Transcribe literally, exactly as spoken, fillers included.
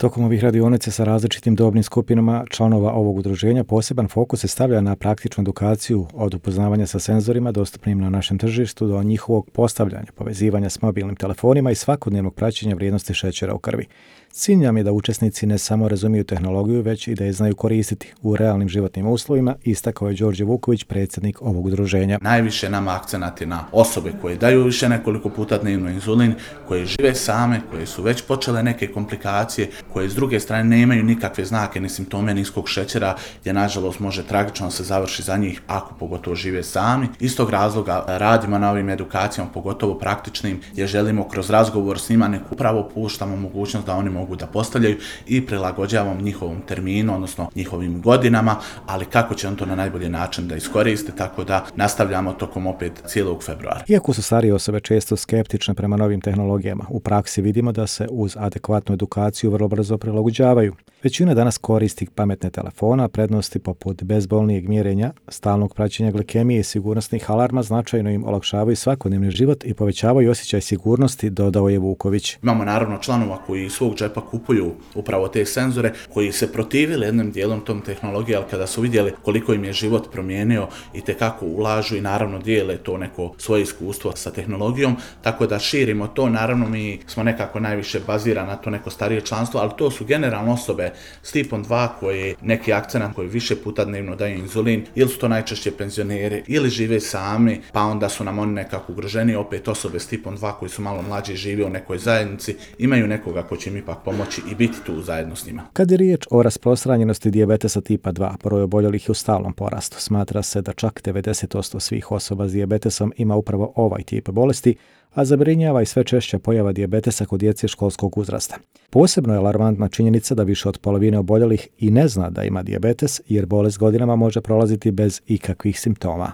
Tokom ovih radionica sa različitim dobnim skupinama članova ovog udruženja poseban fokus se stavlja na praktičnu edukaciju od upoznavanja sa senzorima dostupnim na našem tržištu do njihovog postavljanja, povezivanja s mobilnim telefonima i svakodnevnog praćenja vrijednosti šećera u krvi. Cilj nam je da učesnici ne samo razumiju tehnologiju, već i da je znaju koristiti u realnim životnim uslovima, istakao je Đorđe Vuković, predsjednik ovog udruženja. Najviše nama akcenat je na osobe koje daju više nekoliko puta dnevno inzulin, koje žive same, koje su već počele neke komplikacije, koje s druge strane nemaju nikakve znake ni simptome niskog šećera, gdje nažalost može tragično se završi za njih ako pogotovo žive sami. Iz tog razloga radimo na ovim edukacijama, pogotovo praktičnim, gdje želimo kroz razgovor s njima neku upravo puštamo mogućnost da oni mogu da postavljaju i prilagođavamo njihovom terminu, odnosno njihovim godinama, ali kako će on to na najbolji način da iskoriste, tako da nastavljamo tokom opet cijelog februara. Iako su starije osobe često skeptične prema novim tehnologijama, u praksi vidimo da se uz adekvatnu edukaciju vrlo brzo prilagođavaju. Većina danas koristi pametne telefona, prednosti poput bezbolnijeg mjerenja, stalnog praćenja glikemije i sigurnosnih alarma značajno im olakšavaju svakodnevni život i povećavaju osjećaj sigurnosti, dodao je Vuković. Imamo naravno članova koji iz svog džepa kupuju upravo te senzore, koji se protivili jednim dijelom tom tehnologije, ali kada su vidjeli koliko im je život promijenio i tekako ulažu i naravno dijele to neko svoje iskustvo sa tehnologijom, tako da širimo to. Naravno mi smo nekako najviše bazirani na to neko starije članstvo, ali to su generalno osobe s tipom dva koji neki akcenat koji više puta dnevno daju inzulin, ili su to najčešće penzioneri ili žive sami, pa onda su nam oni nekako ugroženi, opet osobe s tipom dva koji su malo mlađi, žive u nekoj zajednici, imaju nekoga ko će im ipak pomoći i biti tu zajedno s njima. Kad je riječ o rasprostranjenosti dijabetesa tipa dva, broj oboljelih je u stalnom porastu. Smatra se da čak devedeset posto svih osoba s dijabetesom ima upravo ovaj tip bolesti, a zabrinjava i sve češća pojava dijabetesa kod djece školskog uzrasta. Posebno je alarmantna činjenica da više od polovine oboljelih i ne zna da ima dijabetes, jer bolest godinama može prolaziti bez ikakvih simptoma.